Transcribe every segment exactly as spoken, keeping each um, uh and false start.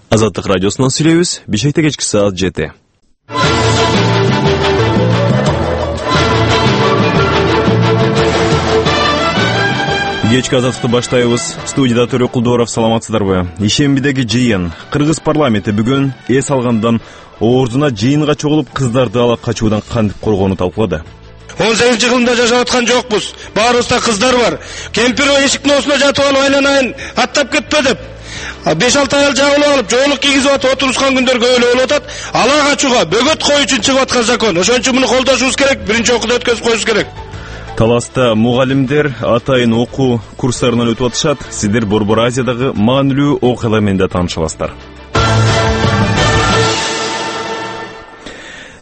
Азаттык радиосунан сүйлөйбүз. Бишкекте кечки саат жети. Кечки азаттыкты баштайбыз. Студияда Төрө Кулдоров, саламатсыздарбы? Ишембидеги жыйын. Кыргыз парламенти бүгүн эс алгандан ордуна жыйынга чогулуп кыздарды ала качуудан кантип коргоону талкуулады. он сегизинчи кылымда жашап аткан жокпуз. Баарыбызда кыздар бар. Кемпир эшиктин оосуна жатып алып айланайын аттап кетпе деп. беш алты аял жабылып алып, жоолук кийгизип атып отурушкан күндөргө өлө болуп атат. Ала качууга бөгөт кою үчүн чыгып аткан закон. Ошон үчүн муну колдошубуз керек, биринчи окууда өткөзүп коюшубуз керек. Таласта мугалимдер атайын окуу курстарынан өтүп атышат. Сиздер Борбор Азиядагы маанилүү окуялар менен да тааныша аласыздар.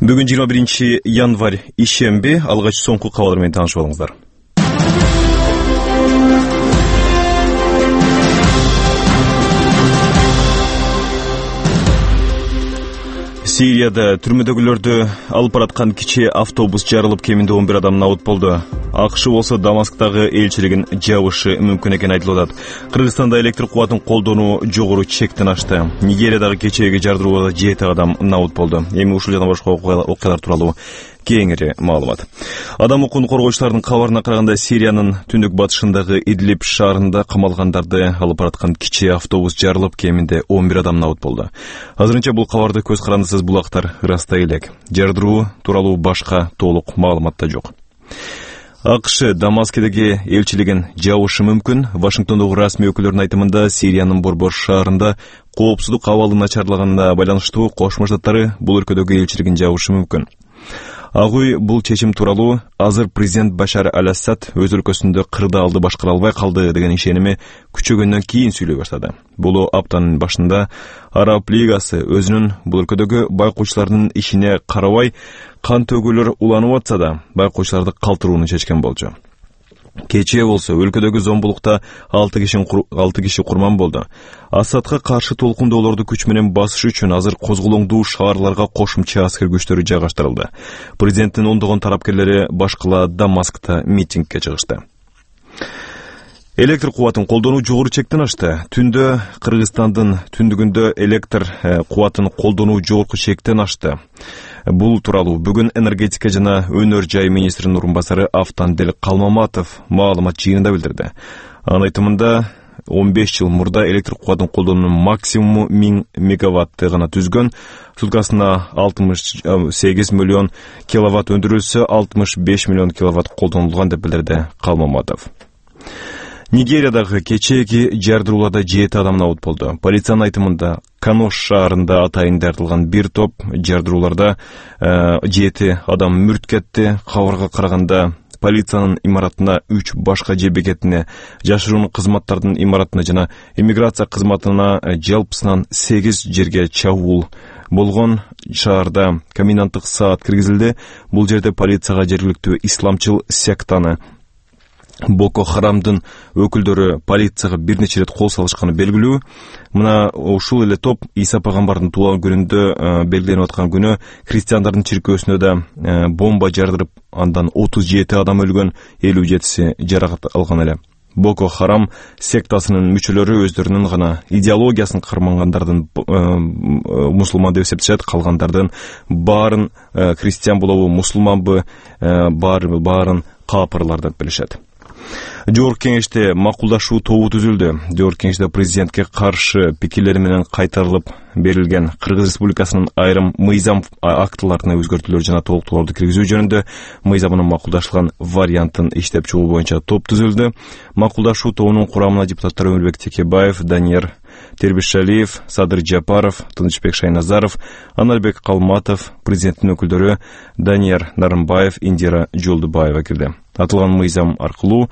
Бүгүн жыйырма биринчи январь ишемби, алгач соңку кабарлар менен таанышып алыңыздар. Сирияда түрмөдөгүлөрдү алып бараткан кичи автобус жарылып, кеминде он бир адам набыт болду. АКШ болсо Дамасктагы элчилигин жабышы мүмкүн экени айтылып атат. Кыргызстанда электр кубатын колдонуу жогору чектен ашты. Нигериядагы кечээги жардырууда жети адам набыт болду. Эми ушул жана башка окуялар тууралуу кеңири маалымат. Адам укугун коргоочулардын кабарына караганда, Сириянын түндүк батышындагы Идлиб шаарында камалгандарды алып бараткан кичи автобус жарылып, кеминде он бир адам набыт болду. Азырынча бул кабарды көз карандысыз булактар ырастай элек. Жардыруу тууралуу башка толук маалымат да жок. АКШ Дамаскедеги элчилигин жабышы мүмкүн. Вашингтондогу расмий өкүлдөрдүн айтымында, Сириянын борбор шаарында коопсуздук абалы начарлаганына байланыштуу Кошмо Штаттары бул өлкөдөгү элчилигин жабышы мүмкүн. Агуй бул чечим тууралуу азыр президент Башар аль-Асад өз өлкөсүндө кырдаалды башкара албай калды деген ишеними күчөгөндөн кийин сүйлөй баштады. Бул аптанын башында Араб лигасы өзүнүн бул өлкөдөгү байкоочулардын ишине карабай кан төгүүлөр уланып атса да, байкоочуларды калтырууну чечкен болчу. Кечээ болсо өлкөдөгү зомбулукта алты киши алты киши курман болду. Асадка каршы толкундоолорду күч менен басыш үчүн азыр козголоңдуу шаарларга кошумча аскер күчтөрү жайгаштырылды. Президенттин ондогон тарапкерлери башкала Дамаскта митингге чыгышты. Электр кубатын колдонуу жогору чектен ашты. Түндө Кыргызстандын түндүгүндө электр кубатын колдонуу жогорку чектен ашты. Бул тууралуу бүгүн энергетика жана өнөр жай министринин орун басары Автандел Калмаматов маалымат жыйынында билдирди. Анын айтымында, он беш жыл мурда электр кубатын колдонуунун максимуму миң мегаватты гана түзгөн. Суткасына алтымыш сегиз миллион киловатт өндүрүлсө, алтымыш беш миллион киловатт колдонулган деп билдирди Калмаматов. Нигериядагы кечээги жардырууларда жети адам набыт болду. Полициянын айтымында, Канош шаарында атайын дартылган бир топ жардырууларда жети адам мүрт кетти. Кабарга караганда, полициянын имаратына үч башка же бекетине, жашыруун кызматтардын имаратына жана иммиграция кызматына жалпысынан сегиз жерге чабуул болгон. Шаарда коменданттык саат киргизилди. Бул жерде полицияга жергиликтүү исламчыл сектаны Боко Харамдын өкүлдөрү полицияга бир нече рет кол салышканы белгилүү. Мына ушул эле топ Иса пайгамбардын туулган күнүндө белгиленип аткан күнү христиандардын чиркөөсүнө да бомба жардырып, андан отуз жети адам өлгөн, элүү жетиси жаракат алган эле. Боко Харам сектасынын мүчөлөрү өздөрүнүн гана идеологиясын кармангандардын мусулман деп эсептешет, калгандардын баарын христиан болобу, мусулманбы, баары баарын капырлар деп билишет. Жогорку кеңеште макулдашуу тобу түзүлдү. Жогорку кеңеште президентке каршы пикирлери менен кайтарылып берилген Кыргыз Республикасынын айрым мыйзам актыларына өзгөртүүлөр жана толуктоолорду киргизүү жөнүндө мыйзамынын макулдашылган вариантын иштеп чыгуу боюнча топ түзүлдү. Макулдашуу тобунун курамына депутаттар Өмүрбек Текебаев, Данияр Тербишалиев, Садыр Жапаров, Тынычбек Шайназаров, Аналбек Калматов, президенттин өкүлдөрү Данияр Нарымбаев, Индира Жолдубаева кирди. Атылган мыйзам аркылуу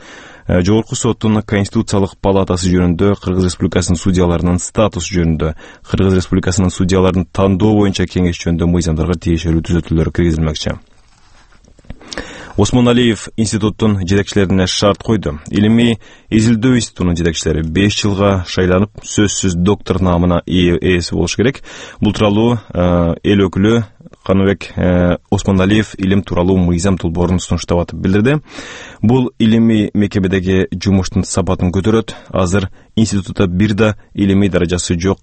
Жогорку соттун Конституциялык палатасы жөнүндө, Кыргыз Республикасынын судьяларынын статусу жөнүндө, Кыргыз Республикасынын судьяларын тандоо боюнча кеңеш жөнүндө мыйзамдарга тиешелүү түзөтүүлөр киргизилмекчи. Осмон Алиев институттун жетекчилерине шарт койду. Илимий изилдөө институтунун жетекчилери беш жылга шайланып, сөзсүз доктор наамына ээси болуш керек. Бул тууралуу эл өкүлү Каныбек Осмон Алиев илим тууралуу мыйзам долбоорун сунуштап атып билдирди. Бул илимий мекемедеги жумуштун сапатын көтөрөт. Азыр институтта бир да илимий даражасы жок